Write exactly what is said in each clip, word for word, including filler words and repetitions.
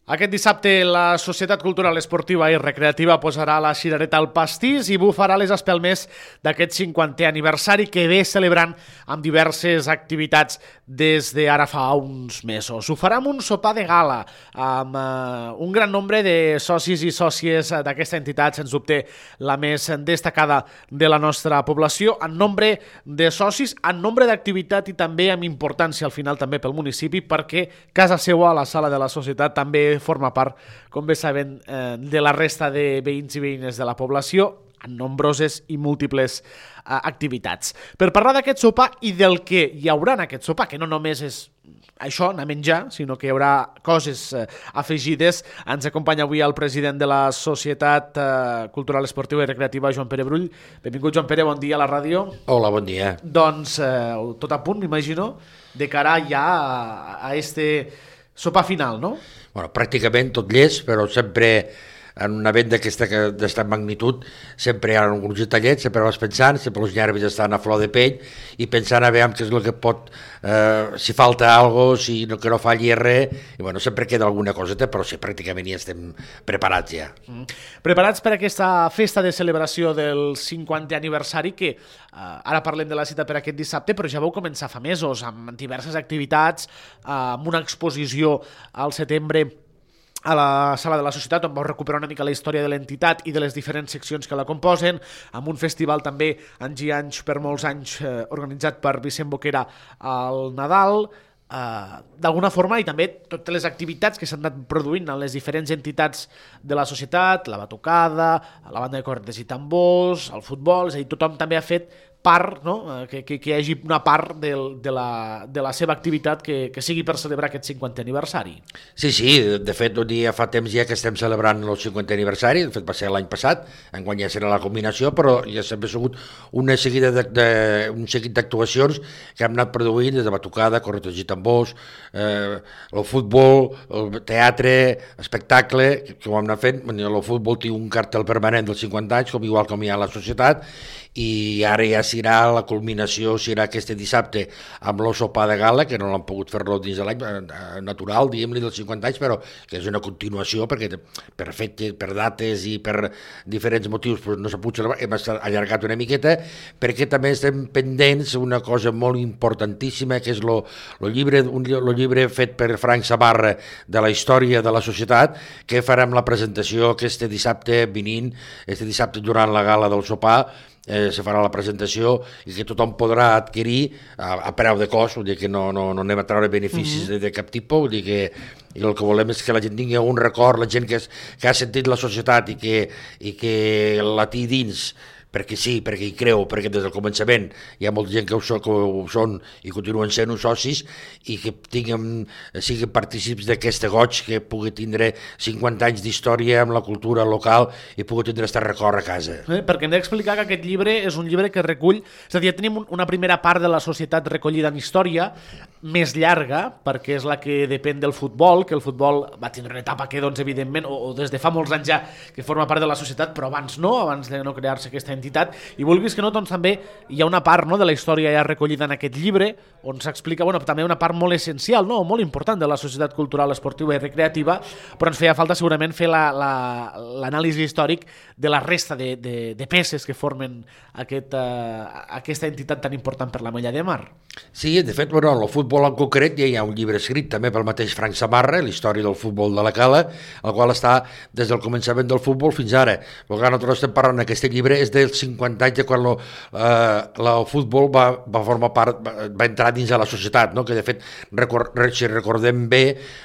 Aquest dissabte la Societat Cultural Esportiva i Recreativa posarà la cirereta al pastís i bufarà les espelmes d'aquest cinquantè aniversari que ve celebrant amb diverses activitats des d'ara fa uns mesos. Ho farà amb un sopar de gala amb uh, un gran nombre de socis i sòcies d'aquesta entitat, sens dubte la més destacada de la nostra població, en nombre de socis, en nombre d'activitat i també amb importància al final també pel municipi, perquè casa seua, a la sala de la Societat, també forma part, com bé saben, eh, de la resta de veïns i veïnes de la població en nombroses i múltiples eh, activitats. Per parlar d'aquest sopar i del que hi haurà en aquest sopar, que no només és això, anar a menjar, sinó que hi haurà coses eh, afegides, ens acompanya avui el president de la Societat eh, Cultural Esportiva i Recreativa, Joan Pere Brull. Benvingut, Joan Pere, bon dia a la ràdio. Hola, bon dia. Doncs eh, tot a punt, m'imagino, de cara ja a, a este sopar final, no? Bueno, pràcticament tot llest, però sempre en un event d'aquesta magnitud sempre hi ha alguns detallets, sempre vas pensant, sempre els nervis estan a flor de pell i pensant a veure què és el que pot, eh, si falta alguna cosa, si no, que no falli res, i bueno, sempre queda alguna coseta, però sí, pràcticament ja estem preparats ja. Mm. Preparats per aquesta festa de celebració del cinquantè aniversari que eh, ara parlem de la cita per aquest dissabte, però ja vau començar fa mesos amb diverses activitats, eh, amb una exposició al setembre a la sala de la Societat, on vau recuperar una mica la història de l'entitat i de les diferents seccions que la composen, amb un festival també anys i anys, per molts anys, eh, organitzat per Vicent Boquera al Nadal, eh, d'alguna forma, i també totes les activitats que s'han anat produint en les diferents entitats de la societat, la batucada, la banda de cornetes i tambors, el futbol, és a dir, tothom també ha fet part, no? que, que, que hi hagi una part del, de, la, de la seva activitat que, que sigui per celebrar aquest cinquantè aniversari. Sí, sí, de fet, ja fa temps ja que estem celebrant el cinquantè aniversari, de fet va ser l'any passat, enguany ja serà la combinació, però ja sempre ha sigut una seguida de, de, un seguit d'actuacions que hem anat produint des de batucada, cornetes i tambors, eh, el futbol, el teatre, espectacle, que, que ho hem anat fent. El futbol té un cartel permanent dels cinquanta anys, com igual com hi ha a la societat, i ara ja serà la culminació, serà aquest dissabte amb el sopar de gala, que no l'han pogut fer-lo dins de l'any natural, diguem-li, dels cinquanta anys, però que és una continuació, perquè per fet, per dates i per diferents motius doncs no s'ha pogut celebrar, hem allargat una miqueta, perquè també estem pendents una cosa molt importantíssima, que és el llibre, un, lo llibre fet per Frank Sabarra de la història de la societat, que farem la presentació aquest dissabte venint, aquest dissabte durant la gala del sopar, Eh, se farà la presentació i que tothom podrà adquirir a, a preu de cost, vull dir que no, no, no anem a treure beneficis mm-hmm. de, de cap tipus, vull dir que i el que volem és que la gent tingui un record, la gent que, és, que ha sentit la societat i que, i que la té dins, perquè sí, perquè hi creu, perquè des del començament hi ha molta gent que ho, so, que ho són i continuen sent uns socis i que tinguem, siguin partícips d'aquest goig que pugui tindre cinquanta anys d'història amb la cultura local i pugui tindre aquest record a casa. Eh, perquè hem d'explicar que aquest llibre és un llibre que recull, és a dir, ja tenim una primera part de la societat recollida en història, més llarga, perquè és la que depèn del futbol, que el futbol va tindre una etapa que, doncs, evidentment, o, o des de fa molts anys ja que forma part de la societat, però abans no, abans de no crear-se aquesta entitat, i vulguis que no, doncs també hi ha una part, no, de la història ja recollida en aquest llibre, on s'explica, bueno, també una part molt essencial, no, molt important de la Societat Cultural Esportiva i Recreativa, però ens feia falta segurament fer l'anàlisi la, la, històric de la resta de, de, de peces que formen aquest, uh, aquesta entitat tan important per la Mella de Mar. Sí, de fet, bueno, el futbol en concret ja hi ha un llibre escrit també pel mateix Frank Sabarra, la història del futbol de la Cala, el qual està des del començament del futbol fins ara. El que nosaltres estem parlant en aquest llibre és dels cinquanta anys de quan lo, eh, el futbol va, va formar part, va, va entrar dins de la societat, no? Que de fet, record, si recordem bé,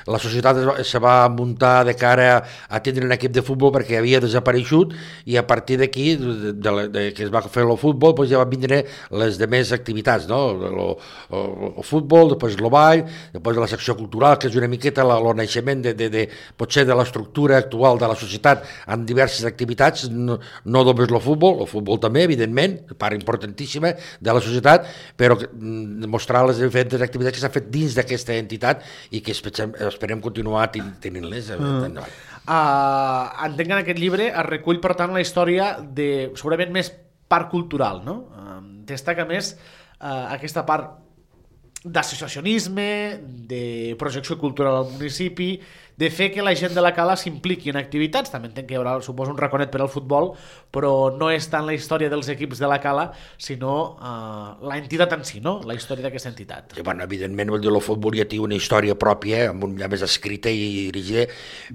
la societat es va, se va muntar de cara a, a tindre un equip de futbol perquè havia desapareixut i a partir d'aquí, de, de, de, que es va fer el futbol, doncs ja van vindre les demés activitats, no? Lo, el, el futbol, després el ball, després la secció cultural, que és una miqueta el naixement de, de, de, potser de l'estructura actual de la societat amb diverses activitats, no, no només el futbol, el futbol també, evidentment, part importantíssima de la societat, però mostrar les diferents activitats que s'han fet dins d'aquesta entitat i que esperem, esperem continuar tenint-les. Mm. Uh, entenc que en aquest llibre es recull, per tant, la història de, segurament, més part cultural, no? Uh, destaca més uh, aquesta part d'associacionisme, de projecció cultural al municipi, de fer que la gent de la cala s'impliqui en activitats. També entenc que hi haurà, suposo, un raconet per al futbol, però no és tant la història dels equips de la cala, sinó uh, la entitat en si, no? La història d'aquesta entitat. Sí, bueno, evidentment, vol dir, el futbol ja té una història pròpia, amb un, ja més escrita i dirigida,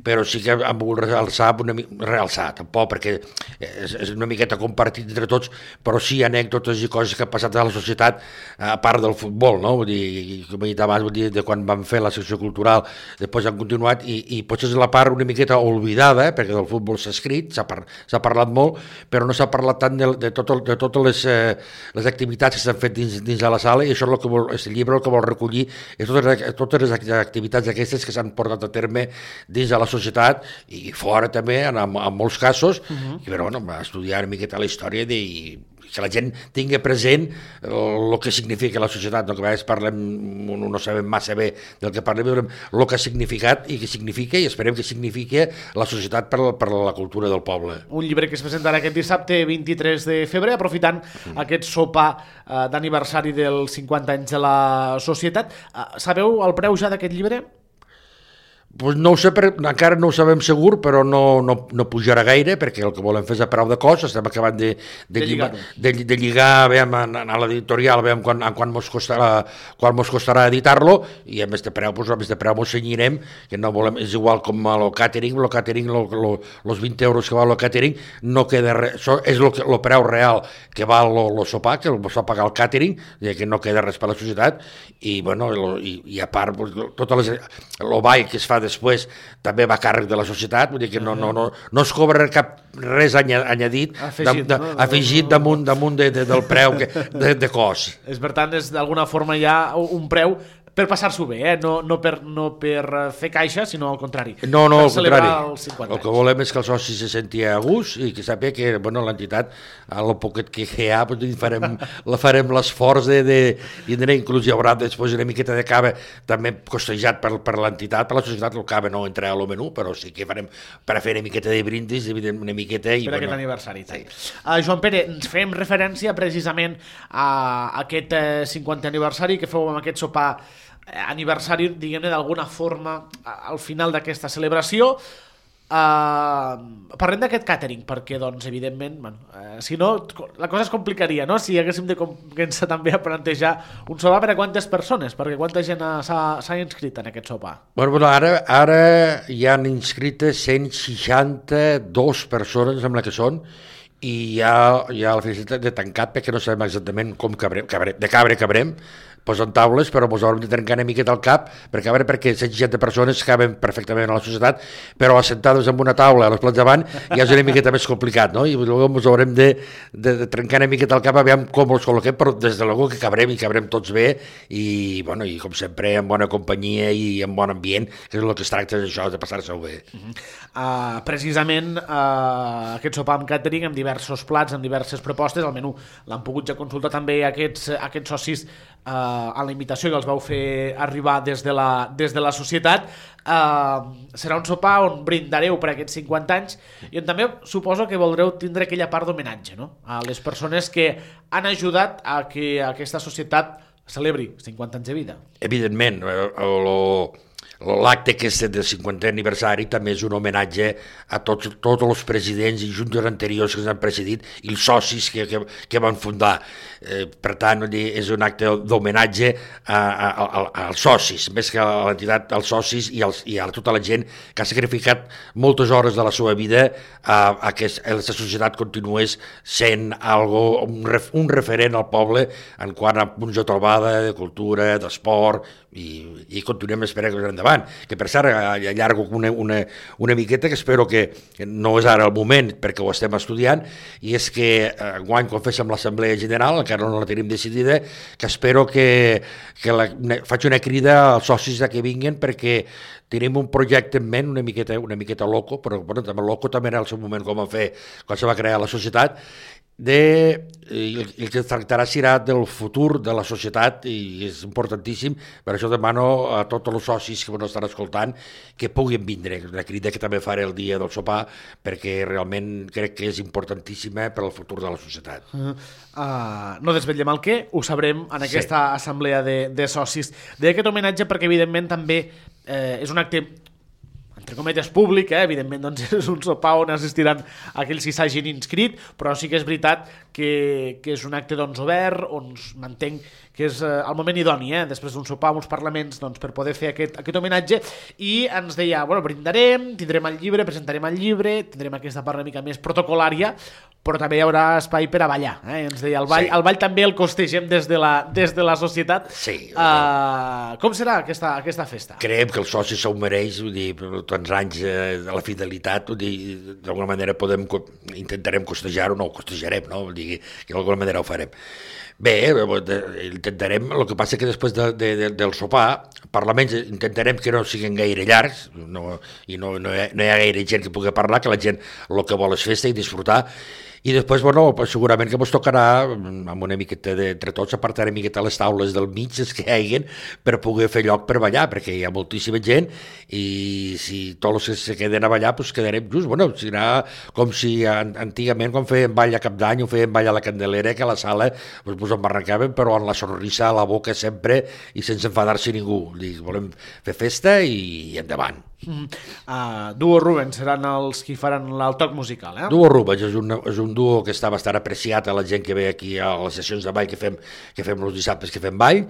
però sí que hem volgut realçar, una, realçar tampoc, perquè és, és una miqueta compartit entre tots, però sí anècdotes i coses que han passat a la societat, a part del futbol, no? Vull dir, com he dit abans, vull dir, de quan vam fer la secció cultural, després han continuat, i, i potser és la part una miqueta oblidada, perquè del futbol s'ha escrit, s'ha par, parlat molt, però no s'ha parlat tant de, de, tot el, de totes les, eh, les activitats que s'han fet dins, dins de la sala, i això és el que vol, el llibre el que vol recollir, és totes, totes les activitats aquestes que s'han portat a terme dins de la societat, i fora també, en, en molts casos, uh-huh. i però, bueno, estudiar una miqueta la història de... que la gent tingui present el que significa la societat, no? Que a vegades parlem, no sabem massa bé del que parlem, però el que ha significat i que significa, i esperem que significa la societat per, per la cultura del poble. Un llibre que es presentarà aquest dissabte vint-i-tres de febrer, aprofitant mm. aquest sopar eh, d'aniversari dels cinquanta anys de la societat. Eh, sabeu el preu ja d'aquest llibre? Pues no ho sé, per, encara no ho sabem segur, però no, no, no pujarà gaire, perquè el que volem fer és a preu de cost, estem acabant de, de, de, lligar, de, de lligar veiem, a, a l'editorial, veiem quan, quan mos costarà, quan mos costarà editar-lo, i a més de preu, pues, a més de preu mos cenyirem, que no volem, és igual com el catering, el catering, els vint euros que val el catering, no queda res, això és el preu real que val el sopar, que el va pagar el catering, que no queda res per la societat, i, bueno, lo, i, i a part, pues, totes les, el ball que es fa després també va a càrrec de la societat, vull dir que no, no, no, no es cobra cap res añadit, afegit, de, de, no? afegit damunt, damunt de, de, del preu que, de, de cost. És, per tant, és d'alguna forma ja un preu per passar-s'ho bé, eh? no, no, per, no per fer caixa, sinó al contrari. No, no, al contrari. El que volem és que el soci se senti a gust i que sàpiga que, bueno, l'entitat, a lo poquet que hi ha, farem, la farem l'esforç de, de, i inclús hi haurà després una miqueta de cava també costejat per, per l'entitat, per la societat, el cava no entrarà al menú, però sí que farem per a fer una miqueta de brindis, una miqueta... I, per bueno, aquest aniversari. Sí. Uh, Joan Pere, ens fem referència precisament a aquest eh, cinquantè aniversari que feu amb aquest sopar aniversari, diguem-ne, d'alguna forma al final d'aquesta celebració. Uh, parlem d'aquest càtering, perquè, doncs, evidentment, bueno, uh, si no, la cosa es complicaria, no? Si haguéssim de començar també a plantejar un sopar per a quantes persones, perquè quanta gent s'ha inscrit en aquest sopar? Bueno, bueno ara, ara hi han inscrites cent seixanta-dues persones, sembla que són, i hi ha, hi ha la felicitat de tancat, perquè no sabem exactament com cabrem, cabrem, de cabre cabrem, posen taules, però ens haurem de trencar una miqueta el cap, perquè a veure, perquè cent seixanta persones caben perfectament a la societat, però assentades en una taula a les plats davant ja és una miqueta més complicat, no? I llavors ens haurem de, de, de trencar una miqueta el cap a veure com els col·loquem, però des de l'algú que cabrem i cabrem tots bé, i, bueno, i com sempre en bona companyia i en bon ambient, que és el que es tracta d'això, de passar-se-ho bé. Uh-huh. uh, precisament uh, aquest sopar amb catering, amb diversos plats, amb diverses propostes, al menú l'han pogut ja consultar també aquests, aquests socis uh, a la invitació que els vau fer arribar des de la, des de la societat. Uh, serà un sopar on brindareu per aquests cinquanta anys i on també suposo que voldreu tindre aquella part d'homenatge, no? A les persones que han ajudat a que aquesta societat celebri cinquanta anys de vida. Evidentment, l'acte aquest del cinquantè aniversari també és un homenatge a tots, tots els presidents i juntes anteriors que ens han precedit i els socis que, que, que van fundar. Eh, per tant, és un acte d'homenatge a, a, a, als socis, més que a l'entitat, als socis i, als, i a tota la gent que ha sacrificat moltes hores de la seva vida a, a que la societat continués sent algo, un, ref, un referent al poble en quant a punts de trobada, de cultura, d'esport, i, i continuem esperant que endavant. Que per cert, allargo una, una, una miqueta, que espero que no és ara el moment perquè ho estem estudiant, i és que enguany, quan féssim l'Assemblea General, encara no la tenim decidida, que espero que, que la, una, faig una crida als socis que vinguin, perquè tenim un projecte en ment una miqueta, una miqueta loco, però bueno, també loco també en el seu moment com va fer quan se va crear la societat, de, el, el que es tractarà serà del futur de la societat i és importantíssim, per això demano a tots els socis que ens estan escoltant que puguin vindre, la crida que també faré el dia del sopar, perquè realment crec que és importantíssima per al futur de la societat. Uh, uh, no desvetllem el què, ho sabrem en aquesta sí. assemblea de, de socis. D'aquest homenatge perquè evidentment també eh, és un acte entre cometes, públic, eh? Evidentment doncs, és un sopar on assistiran aquells que s'hagin inscrit, però sí que és veritat que, que és un acte doncs, obert, on m'entenc que és eh, el moment idoni, eh? Després d'un sopar amb uns parlaments doncs, per poder fer aquest, aquest homenatge, i ens deia, bueno, brindarem, tindrem el llibre, presentarem el llibre, tindrem aquesta part una mica més protocolària, però també hi haurà espai per a ballar, eh? Ens deia, el ball, sí. el ball també el costegem des de la, des de la societat. Sí. Uh, com serà aquesta, aquesta festa? Creiem que el soci s'ho mereix, vull dir, per tants anys eh, de la fidelitat, vull dir, d'alguna manera podem, intentarem costejar-ho, no ho costejarem, no? Vull dir, que d'alguna manera ho farem. Bé, intentarem, el que passa que després de, de, de, del sopar, parlaments intentarem que no siguin gaire llargs, no, i no, no, hi ha, no hi ha gaire gent que pugui parlar, que la gent el que vol és festa i disfrutar, i després, bueno, segurament que ens tocarà, amb una miqueta de, entre tots, apartar una miqueta les taules del mig, les que hi hagin, per poder fer lloc per ballar, perquè hi ha moltíssima gent, i si tots els que se queden a ballar, doncs quedarem just, bueno, serà com si antigament, quan feien ball a Cap d'Any, o feien ball a la Candelera, que a la sala doncs, ens embarrancaven, però amb la sonrisa a la boca sempre, i sense enfadar-se ningú. Dic, volem fer festa i endavant. Mm. Uh, Duo Rubens seran els qui faran el toc musical, eh? Duo Rubens és un, és un duo que està bastant apreciat a la gent que ve aquí a les sessions de ball que fem, que fem els dissabtes que fem ball,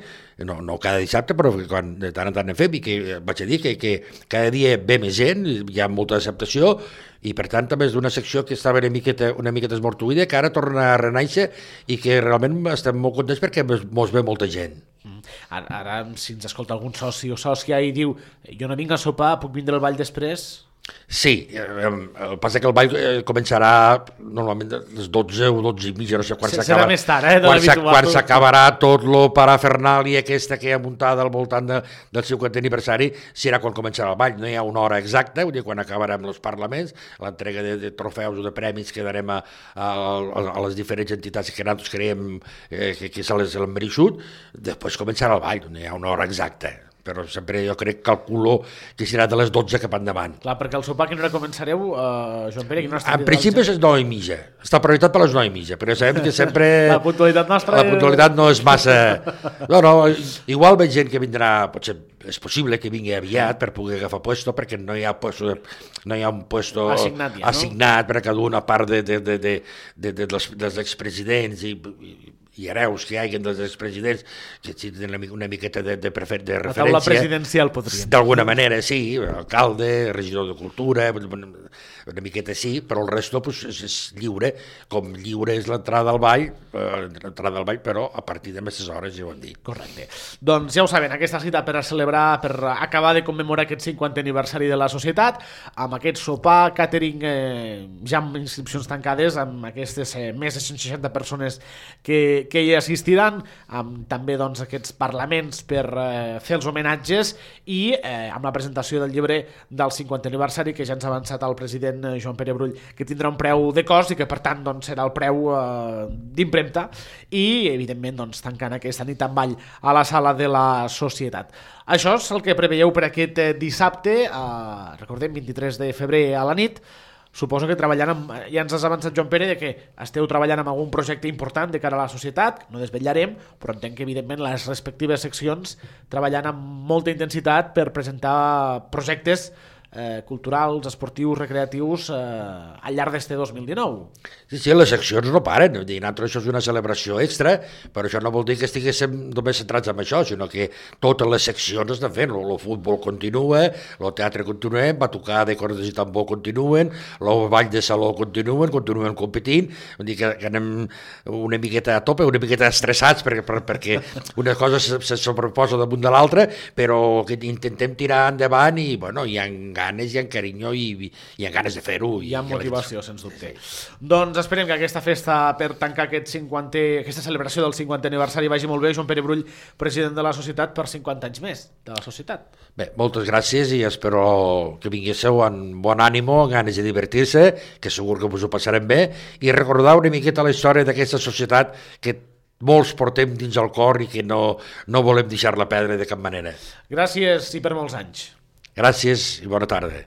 no, no cada dissabte, però quan de tant en tant en fem, i que vaig a dir que, que cada dia ve més gent, hi ha molta acceptació, i per tant també és d'una secció que estava una miqueta, una miqueta esmortuïda, que ara torna a renaixer i que realment estem molt contents perquè mos ve molta gent. Ara, ara si ens escolta algun soci o sòcia i diu jo no vinc a sopar, puc vindre al ball després? Sí, el que passa que el ball començarà normalment a les dotze o dotze i mitja, no sé quan s'acaba. Serà més tard, eh? Quan, quan s'acabarà tot lo parafernàlia aquesta que hi ha muntada al voltant de, del cinquantè aniversari, serà quan començarà el ball. No hi ha una hora exacta, vull dir, quan acabarem els parlaments, l'entrega de, de trofeus o de premis que darem a, a, a les diferents entitats que nosaltres creiem eh, que, que se les han mereixut, després començarà el ball, no hi ha una hora exacta. Però sempre jo crec, calculo que serà de les dotze cap endavant. Clar, perquè el sopar a quina hora començareu, uh, Joan Pere? No en principi és nou i mitja. Està prioritat per les nou i mitja, però sabem que sempre... La puntualitat nostra... La puntualitat no és massa... No, no, igual veig gent que vindrà, potser és possible que vingui aviat per poder agafar puesto, perquè no hi ha, puesto, no hi ha un puesto assignat, ja, no? assignat per a cada una part de, de, de, de, de, de, dels, dels expresidents i... i i hereus que hi hagin dels expresidents, que tenen una miqueta de, de, prefer, de referència. La taula presidencial, podríem. D'alguna manera, sí, alcalde, regidor de cultura, una miqueta sí, però el resto pues, és, és lliure, com lliure és l'entrada al ball, eh, l'entrada al ball, però a partir de més hores, ja ho hem dit. Correcte. Doncs ja ho saben, aquesta cita per a celebrar, per acabar de commemorar aquest cinquantè aniversari de la societat, amb aquest sopar, catering, eh, ja amb inscripcions tancades, amb aquestes eh, més de cent seixanta persones que que hi assistiran, amb també doncs, aquests parlaments per eh, fer els homenatges i eh, amb la presentació del llibre del cinquantè aniversari, que ja ens ha avançat el president eh, Joan Pere Brull, que tindrà un preu de cost i que per tant doncs, serà el preu eh, d'impremta i evidentment doncs, tancant aquesta nit amb ball a la sala de la societat. Això és el que preveieu per aquest eh, dissabte, eh, recordem vint-i-tres de febrer a la nit. Suposo que treballant amb, ja ens has avançat, Joan Pere, de que esteu treballant amb algun projecte important de cara a la societat, no desvetllarem, però entenc que evidentment les respectives seccions treballant amb molta intensitat per presentar projectes eh, culturals, esportius, recreatius eh, al llarg d'este dos mil dinou. Sí, sí, les seccions no paren, nosaltres això és una celebració extra, però això no vol dir que estiguéssim només centrats en això, sinó que totes les seccions estan fent, el futbol continua, el teatre continua, va tocar de cordes i tambor continuen, el ball de saló continuen, continuen competint, vull dir que, que anem una miqueta a tope, una miqueta estressats perquè, per, perquè una cosa se, se sobreposa damunt de l'altra, però que intentem tirar endavant i bueno, hi ha ganes, hi ha carinyo i hi ha ganes de fer-ho. Hi ha motivació, sens dubte. Doncs esperem que aquesta festa per tancar aquest cinquantè, aquesta celebració del cinquantè aniversari vagi molt bé. Joan Pere Brull, president de la societat, per cinquanta anys més de la societat. Bé, moltes gràcies i espero que vinguéssiu amb bon ànimo, amb ganes de divertir-se, que segur que us ho passarem bé, i recordar una miqueta la història d'aquesta societat que molts portem dins el cor i que no, no volem deixar-la perdre de cap manera. Gràcies i per molts anys. Gràcies i bona tarda.